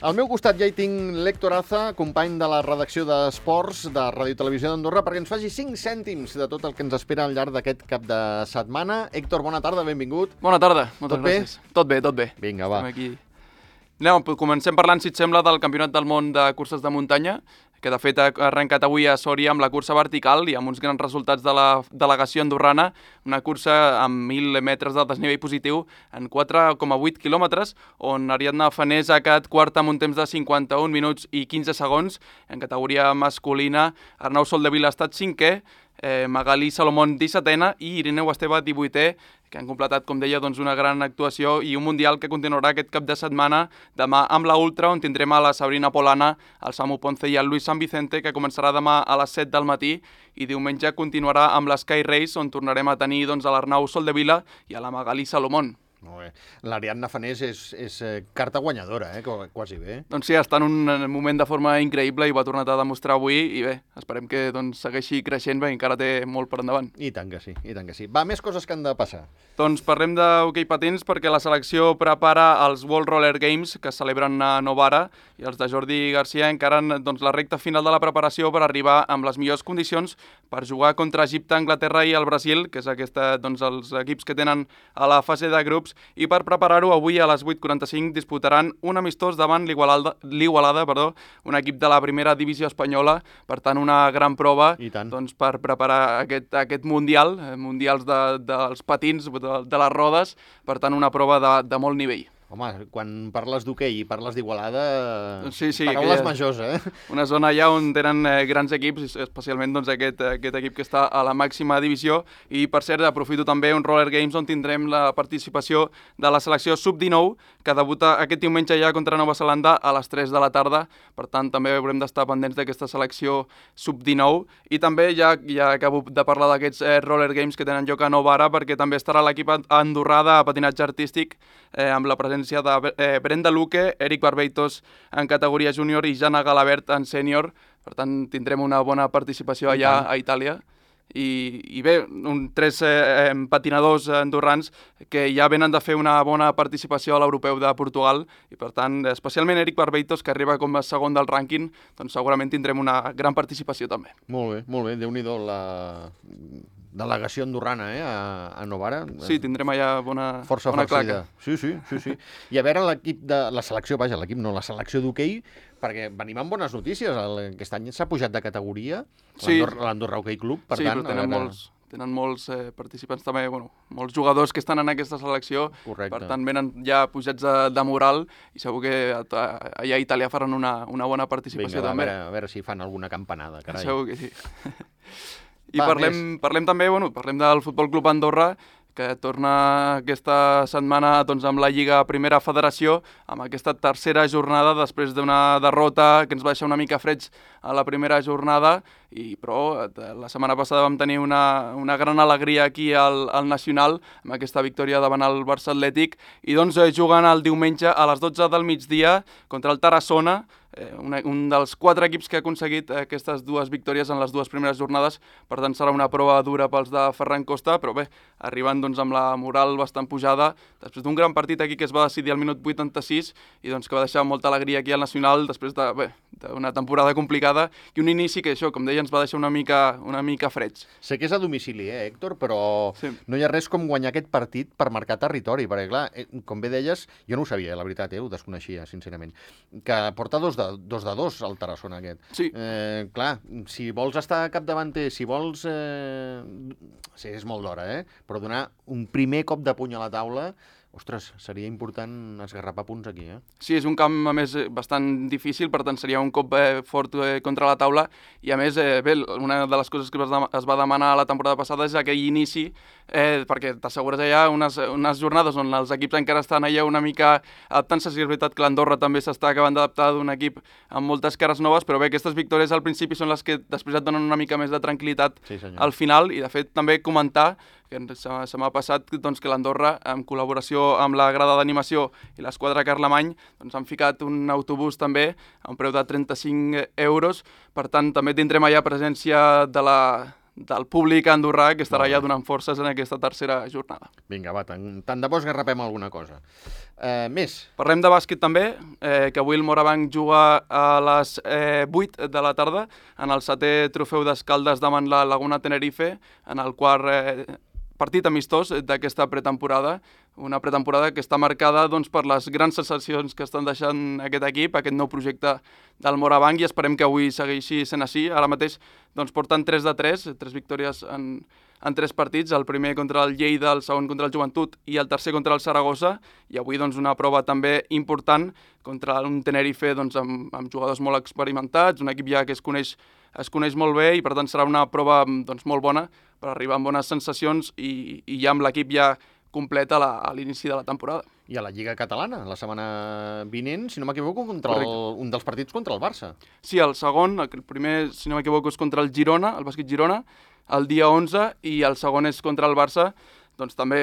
Al meu costat ja hi tinc l'Héctor Aza, company de la redacció d'Esports de Ràdio i Televisió d'Andorra, perquè ens faci 5 cèntims de tot el que ens espera al llarg d'aquest cap de setmana. Héctor, bona tarda, benvingut. Bona tarda, moltes gràcies. Tot bé, tot bé. Vinga, va. Estem aquí. Comencem parlant, si et sembla, del Campionat del Món de Curses de Muntanya, que de fet ha arrencat avui a Sòria amb la cursa vertical i amb uns grans resultats de la delegació andorrana, una cursa amb 1.000 metres de desnivell positiu en 4,8 quilòmetres, on Ariadna Fanés ha quedat quarta amb un temps de 51 minuts i 15 segons. En categoria masculina, Arnau Soldevila ha estat cinquè, Magalí Salomón 17ena i Irineu Esteve 18è, que han completat, com deia, doncs una gran actuació i un mundial que continuarà aquest cap de setmana demà amb la Ultra, on tindrem a la Sabrina Polana, el Samu Ponce i el Luis San Vicente, que començarà demà a les 7 del matí, i diumenge continuarà amb l'Sky Race, on tornarem a tenir doncs, a l'Arnau Soldevila i a la Magalí Salomón. Molt bé. L'Ariadna Fanés és carta guanyadora, quasi bé. Doncs sí, està en un moment de forma increïble i ho ha tornat a demostrar avui i bé, esperem que segueixi creixent, perquè encara té molt per endavant. I tant que sí, i tant que sí. Va, més coses que han de passar. Doncs parlem d'hoquei patins perquè la selecció prepara els World Roller Games que es celebren a Novara i els de Jordi Garcia encaren la recta final de la preparació per arribar amb les millors condicions per jugar contra Egipte, Anglaterra i el Brasil, que és els equips que tenen a la fase de grups. I per preparar-ho, avui a les 8:45 disputaran un amistós davant l'Igualada, un equip de la primera divisió espanyola, per tant una gran prova per preparar aquest mundials dels patins, de les rodes, per tant una prova de molt nivell. Home, quan parles d'hoquei i parles d'Igualada, sí, paraules majors, Una zona allà on tenen grans equips, especialment aquest equip que està a la màxima divisió. I, per cert, aprofito també un Roller Games on tindrem la participació de la selecció Sub-19, que debuta aquest diumenge ja contra Nova Zelanda a les 3 de la tarda. Per tant, també haurem d'estar pendents d'aquesta selecció Sub-19. I també ja acabo de parlar d'aquests Roller Games que tenen lloc a Novara, perquè també estarà l'equip andorrà de patinatge artístic amb la presència de Brenda Luque, Eric Barbeitos en categoria júnior i Jana Galabert en sènior. Per tant, tindrem una bona participació allà a Itàlia. I bé, 3 patinadors andorrans que ja venen de fer una bona participació a l'Europeu de Portugal i, per tant, especialment Eric Barbeitos, que arriba com a segon del rànquing, doncs segurament tindrem una gran participació també. Molt bé. Déu-n'hi-do la delegació andorrana a Novara. Sí, tindrem allà bona claca. Sí. I a veure la selecció d'hoquei, perquè venim amb bones notícies. Aquest any s'ha pujat de categoria l'Andorra Hockey Club. Però tenen molts participants també, molts jugadors que estan en aquesta selecció. Correcte. Per tant, venen ja pujats de moral i segur que allà a Itàlia faran una bona participació. Vinga, també. A veure si fan alguna campanada, carai. Segur que sí. I parlem també, parlem del Futbol Club Andorra, que torna aquesta setmana amb la Lliga Primera Federació, amb aquesta tercera jornada després d'una derrota que ens va deixar una mica freds a la primera jornada, però la setmana passada vam tenir una gran alegria aquí al Nacional amb aquesta victòria davant el Barça Atlètic i jugant el diumenge a les 12 del migdia contra el Tarassona, un dels 4 equips que ha aconseguit aquestes 2 victòries en les 2 primeres jornades. Per tant, serà una prova dura pels de Ferran Costa, però bé, arribant amb la moral bastant pujada, després d'un gran partit aquí que es va decidir al minut 86 i que va deixar molta alegria aquí al Nacional després d'una temporada complicada i un inici que això, com deia, ens va deixar una mica freds. Sé que és a domicili, Héctor, però no hi ha res com guanyar aquest partit per marcar territori, perquè clar, com bé deies, jo no ho sabia, la veritat, ho desconeixia, sincerament, que porta 2-2 al Tarassona aquest. Sí. Clar, si vols estar capdavanter, si vols... Sí, és molt d'hora, però donar un primer cop de puny a la taula... Ostres, seria important esgarrapar punts aquí, Sí, és un camp, a més, bastant difícil, per tant, seria un cop fort contra la taula, i a més, una de les coses que es va demanar la temporada passada és aquell inici, perquè t'assegures allà unes jornades on els equips encara estan allà una mica adaptant-se. Sí, és veritat que l'Andorra també s'està acabant d'adaptar d'un equip amb moltes cares noves, però bé, aquestes victòries al principi són les que després et donen una mica més de tranquil·litat al final, i de fet també comentar que se m'ha passat que l'Andorra, en col·laboració amb la grada d'animació i l'esquadra Carlemany, han ficat un autobús també a un preu de 35 euros. Per tant, també tindrem allà presència de del públic andorrà que estarà ja donant forces en aquesta tercera jornada. Vinga, va, tant de bo esgarrapem alguna cosa. Més? Parlem de bàsquet també, que avui el Morabanc juga a les 8 de la tarda en el 7è trofeu d'Escaldes davant la Laguna Tenerife, en el quart partit amistós d'aquesta pretemporada, una pretemporada que està marcada doncs, per les grans sensacions que estan deixant aquest equip, aquest nou projecte del Morabanc, i esperem que avui segueixi sent així. Ara mateix doncs, porten 3 de 3 victòries en 3 partits, el primer contra el Lleida, el segon contra el Joventut i el tercer contra el Saragossa, i avui doncs, una prova també important contra un Tenerife doncs, amb jugadors molt experimentats, un equip ja que es coneix molt bé, i per tant serà una prova doncs, molt bona per arribar amb bones sensacions i ja amb l'equip ja complet a l'inici de la temporada. I a la Lliga Catalana, la setmana vinent, si no m'equivoco, un dels partits contra el Barça. Sí, el segon, el primer, si no m'equivoco, és contra el Girona, el Bàsquet Girona, el dia 11, i el segon és contra el Barça. Doncs també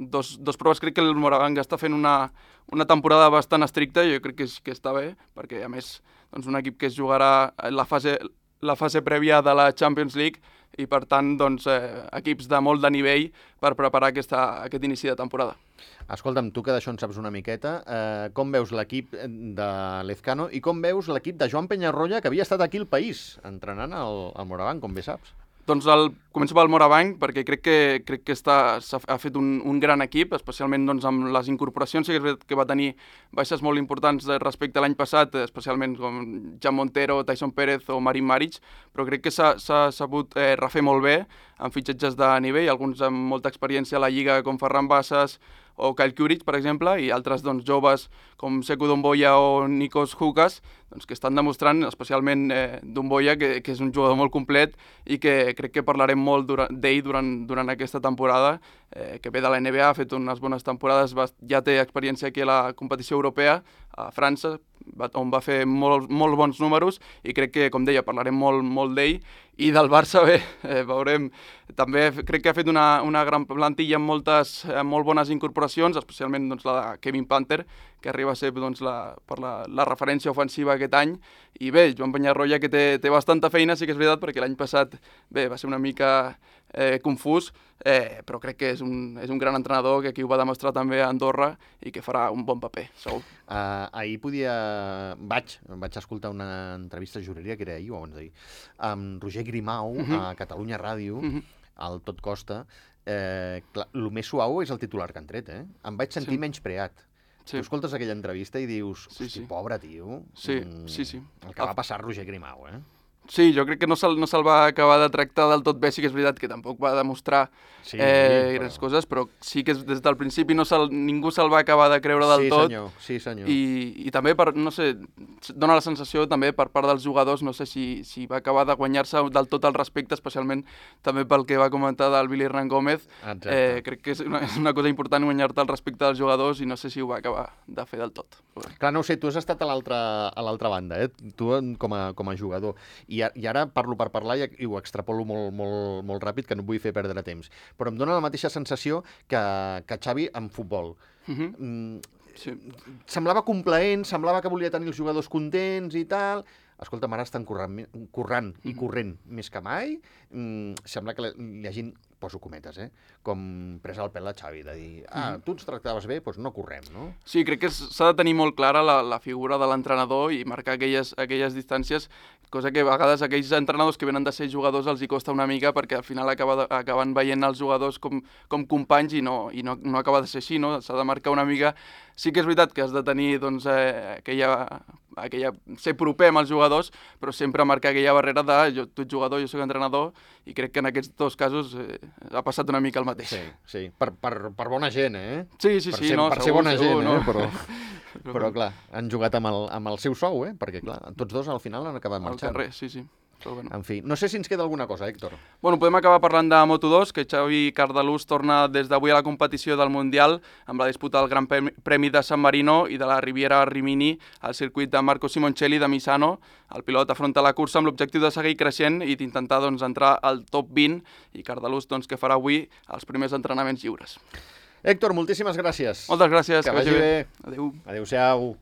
dos proves. Crec que el Morabanc està fent una temporada bastant estricta, i jo crec que està bé, perquè a més doncs, un equip que es jugarà la fase prèvia de la Champions League, i per tant doncs, equips de molt de nivell per preparar aquest inici de temporada. Escolta'm, tu que d'això en saps una miqueta, com veus l'equip de Lezcano i com veus l'equip de Joan Peñarroya, que havia estat aquí al país entrenant al Morabanc, com bé saps? Doncs començo pel Morabanc, perquè crec que ha fet un gran equip, especialment doncs, amb les incorporacions. Sí que va tenir baixes molt importants respecte a l'any passat, especialment com Jan Montero, Tyson Pérez o Marin Maric, però crec que s'ha sabut refer molt bé amb fitxatges de nivell, alguns amb molta experiència a la Lliga com Ferran Bassas o Kyle Kuric, per exemple, i altres doncs, joves com Sekou Domboya o Nikos Hukas, doncs, que estan demostrant, especialment Domboya, que és un jugador molt complet i que crec que parlarem molt d'ell durant aquesta temporada, que ve de la NBA, ha fet unes bones temporades, ja té experiència aquí a la competició europea, a França, on va fer molt bons números, i crec que, com deia, parlarem molt d'ell. I del Barça, bé, veurem, també crec que ha fet una gran plantilla amb molt bones incorporacions, especialment doncs, la de Kevin Panther, que arriba a ser doncs, per la referència ofensiva aquest any. I bé, Joan Peñarroya, que té bastanta feina, sí que és veritat, perquè l'any passat va ser una mica confús, però crec que és un gran entrenador, que aquí ho va demostrar també a Andorra i que farà un bon paper, segur. Ahir vaig escoltar una entrevista, juraria que era ahir o abans d'ahir, amb Roger Grimau a Catalunya Ràdio, al Tot Costa. El més suau és el titular que han tret, Em vaig sentir menyspreat. Tu escoltes aquella entrevista i dius, hosti, pobre tio. Sí. El que va passar Roger Grimau, Sí, jo crec que no se'l va acabar de tractar del tot bé, sí que és veritat que tampoc va demostrar grans coses, però sí que des del principi ningú se'l va acabar de creure del tot. Sí, senyor. I també, no sé, dona la sensació també per part dels jugadors, no sé si va acabar de guanyar-se del tot el respecte, especialment també pel que va comentar del Billy Hernán Gómez. Crec que és una cosa important guanyar-te el respecte dels jugadors, i no sé si ho va acabar de fer del tot. Clar, no ho sé, tu has estat a l'altra banda, tu com a jugador. I ara parlo per parlar i ho extrapolo molt ràpid, que no vull fer perdre temps. Però em dóna la mateixa sensació que Xavi en futbol. Semblava complaent, semblava que volia tenir els jugadors contents i tal. Escolta'm, ara estan corrent més que mai. Sembla que li hagin, poso cometes, com pres el pèl a Xavi, de dir, tu ens tractaves bé, doncs no correm, no? Sí, crec que s'ha de tenir molt clara la figura de l'entrenador i marcar aquelles distàncies, cosa que a vegades aquells entrenadors que venen de ser jugadors els hi costa una mica, perquè al final acaben veient els jugadors com companys i no acaba de ser així, no? S'ha de marcar una mica. Sí que és veritat que has de tenir doncs, ser proper amb els jugadors, però sempre marcar aquella barrera de tu ets jugador, jo soc entrenador, i crec que en aquests dos casos ha passat una mica el mateix. Sí. Per bona gent, Sí, per ser bona gent, però clar, han jugat amb el seu sou, perquè clar, tots dos al final han acabat marxant. Al carrer, sí. Bueno. En fi, no sé si ens queda alguna cosa, Héctor. Bueno, podem acabar parlant de Moto2, que Xavi Cardelús torna des d'avui a la competició del Mundial amb la disputa del Gran Premi de San Marino i de la Riviera Rimini al circuit de Marco Simoncelli de Misano. El pilot afronta la cursa amb l'objectiu de seguir creixent i d'intentar entrar al top 20, i Cardelús que farà avui els primers entrenaments lliures. Héctor, moltíssimes gràcies. Moltes gràcies. Que vagi bé. Adéu. Adéu-siau.